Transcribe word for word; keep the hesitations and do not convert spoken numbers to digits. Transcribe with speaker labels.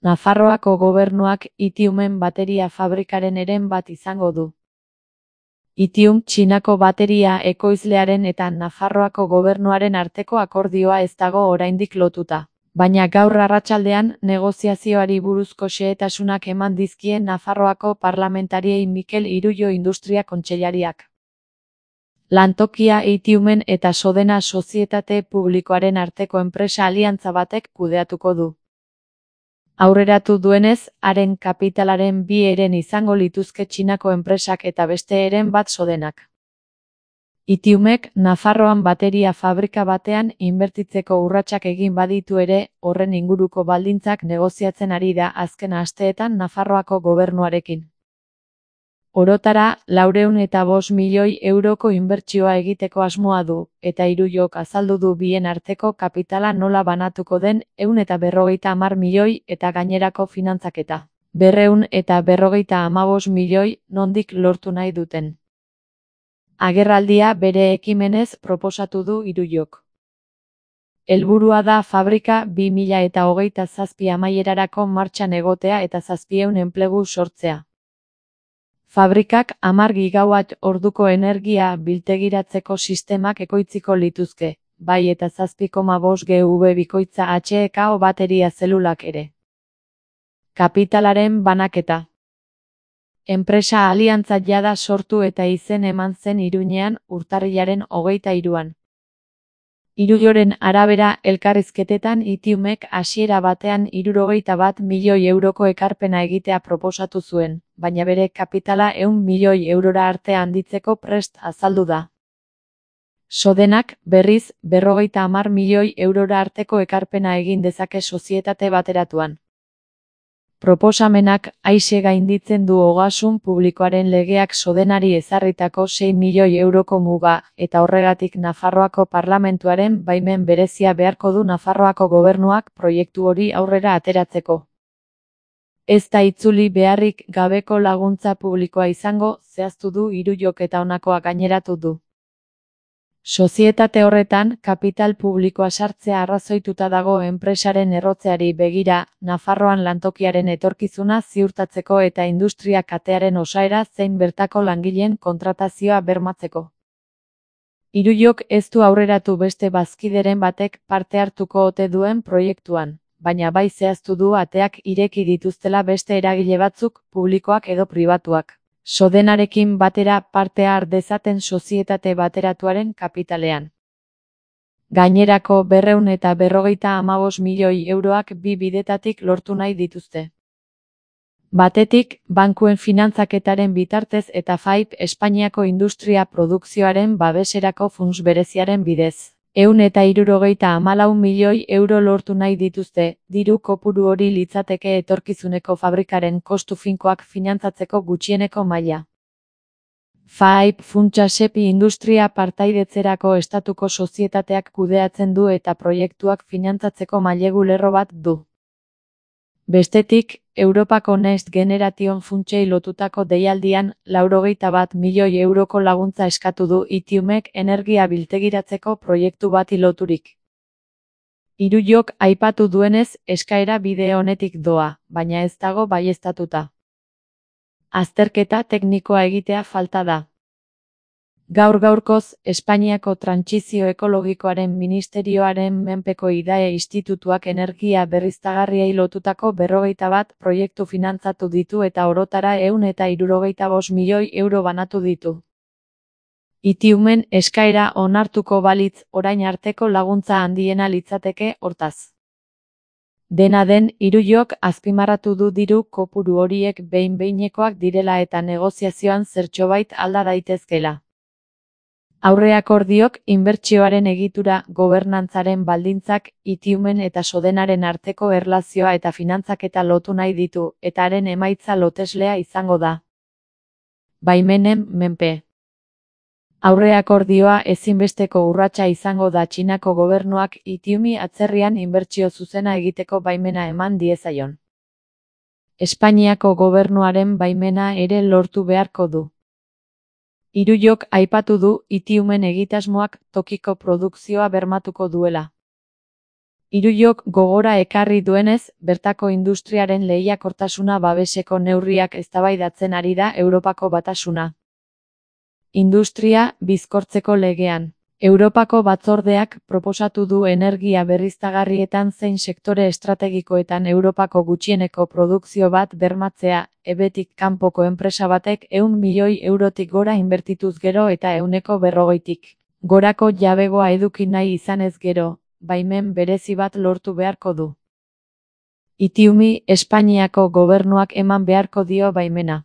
Speaker 1: Nafarroako gobernuak Itiumen bateria fabrikaren eren bat izango du. Itium Txinako bateria ekoizlearen eta Nafarroako gobernuaren arteko akordioa ez dago oraindik lotuta. Baina gaur arratsaldean negoziazioari buruzko xehetasunak eman dizkie Nafarroako parlamentariei Mikel Irullo Industria Kontseilariak. Lantokia Itiumen eta Sodena sozietate publikoaren arteko enpresa aliantza batek kudeatuko du. Aurreratu duenez, haren kapitalaren bi eren izango lituzke Txinako enpresak eta beste eren bat Sodenak. Itiumek Nafarroan bateria fabrika batean inbertitzeko urratsak egin baditu ere, horren inguruko baldintzak negoziatzen ari da azken asteetan Nafarroako gobernuarekin. Orotara, laurehun eta bost milioi euroko inbertsioa egiteko asmoa du, eta Irullok azaldu du bien arteko kapitala nola banatuko den ehun eta berrogeita hamar milioi eta gainerako finantzaketa. Berrehun eta berrogeita hamabost milioi nondik lortu nahi duten. Agerraldia bere ekimenez proposatu du Irullok. Helburua da fabrika bi mila eta hogeita zazpi amaierarako martxan egotea eta zazpiehun enplegu sortzea. Fabrikak hamar gigawatt orduko energia biltegiratzeko sistemak ekoitziko lituzke, bai eta zazpi koma bost gigawatt bikoitza H E K O bateria zelulak ere. Kapitalaren banaketa. Enpresa aliantza jada sortu eta izen eman zen Iruñean urtarrilaren hogeita hiruan. Irulloren arabera elkarrizketetan Itiumek hasiera batean hirurogeita bat milioi euroko ekarpena egitea proposatu zuen, baina bere kapitala ehun milioi eurora arte handitzeko prest azaldu da. Sodenak, berriz, berrogeita hamar milioi eurora arteko ekarpena egin dezake sozietate bateratuan. Proposamenak aise gainditzen du ogasun publikoaren legeak Sodenari ezarritako sei milioi euroko muga, eta horregatik Nafarroako parlamentuaren baimen berezia beharko du Nafarroako gobernuak proiektu hori aurrera ateratzeko. Ez da itzuli beharrik gabeko laguntza publikoa izango, zehaztu du Irullok eta honakoa gaineratu du. Sozietate horretan, kapital publikoa sartzea arrazoituta dago enpresaren errotzeari begira, Nafarroan lantokiaren etorkizuna ziurtatzeko eta industria katearen osaera zein bertako langileen kontratazioa bermatzeko. Irullok ez du aurreratu beste bazkideren batek parte hartuko ote duen proiektuan, baina bai zehaztu du ateak ireki dituztela beste eragile batzuk, publikoak edo pribatuak. Sodenarekin batera parte har dezaten sozietate bateratuaren kapitalean. Gainerako berrehun eta berrogeita hamabost milioi euroak bi bidetatik lortu nahi dituzte. Batetik, bankuen finantzaketaren bitartez eta F A I P Espainiako industria produkzioaren babeserako funts bereziaren bidez. Ehun eta hirurogeita hamalau milioi euro lortu nahi dituzte, diru kopuru hori litzateke etorkizuneko fabrikaren kostu finkoak finantzatzeko gutxieneko maila. F A I P funtsa Sepi industria partaidetzerako estatuko sozietateak kudeatzen du eta proiektuak finantzatzeko mailegu lerro bat du. Bestetik, Europako Next Generation funtsei lotutako deialdian, laurogeita bat milioi euroko laguntza eskatu du Itiumek energia biltegiratzeko proiektu bati loturik. Irullok aipatu duenez, eskaera bide honetik doa, baina ez dago baieztatuta. Azterketa teknikoa egitea falta da. Gaur-gaurkoz, Espainiako Trantsizio Ekologikoaren Ministerioaren menpeko Idae Institutuak energia berriztagarriei lotutako berrogeita bat proiektu finantzatu ditu eta orotara ehun eta hirurogeita bost milioi euro banatu ditu. Itiumen eskaera onartuko balitz orain arteko laguntza handiena litzateke hortaz. Dena den, Irullok azpimarratu du diru kopuru horiek behin-behinekoak direla eta negoziazioan zertxobait alda daitezkela. Aurreakordiok inbertsioaren egitura, gobernantzaren baldintzak, Itiumen eta Sodenaren arteko erlazioa eta finantzaketa lotu nahi ditu, eta haren emaitza loteslea izango da. Baimenen menpe. Aurreakordioa ezinbesteko urratsa izango da Txinako gobernuak Itiumi atzerrian inbertsio zuzena egiteko baimena eman diezaion. Espainiako gobernuaren baimena ere lortu beharko du. Irullok aipatu du Itiumen egitasmoak tokiko produkzioa bermatuko duela. Iruyok gogora ekarri duenez, bertako industriaren lehiakortasuna babeseko neurriak eztabaidatzen ari da Europako Batasuna. Industria bizkortzeko legean. Europako Batzordeak proposatu du energia berriztagarrietan zein sektore estrategikoetan Europako gutxieneko produkzio bat bermatzea, ebetik kanpoko enpresa batek ehun milioi eurotik gora inbertituz gero eta ehuneko berrogeitik gorako jabegoa eduki nahi izanez gero, baimen berezi bat lortu beharko du. Itiumi, Espainiako gobernuak eman beharko dio baimena.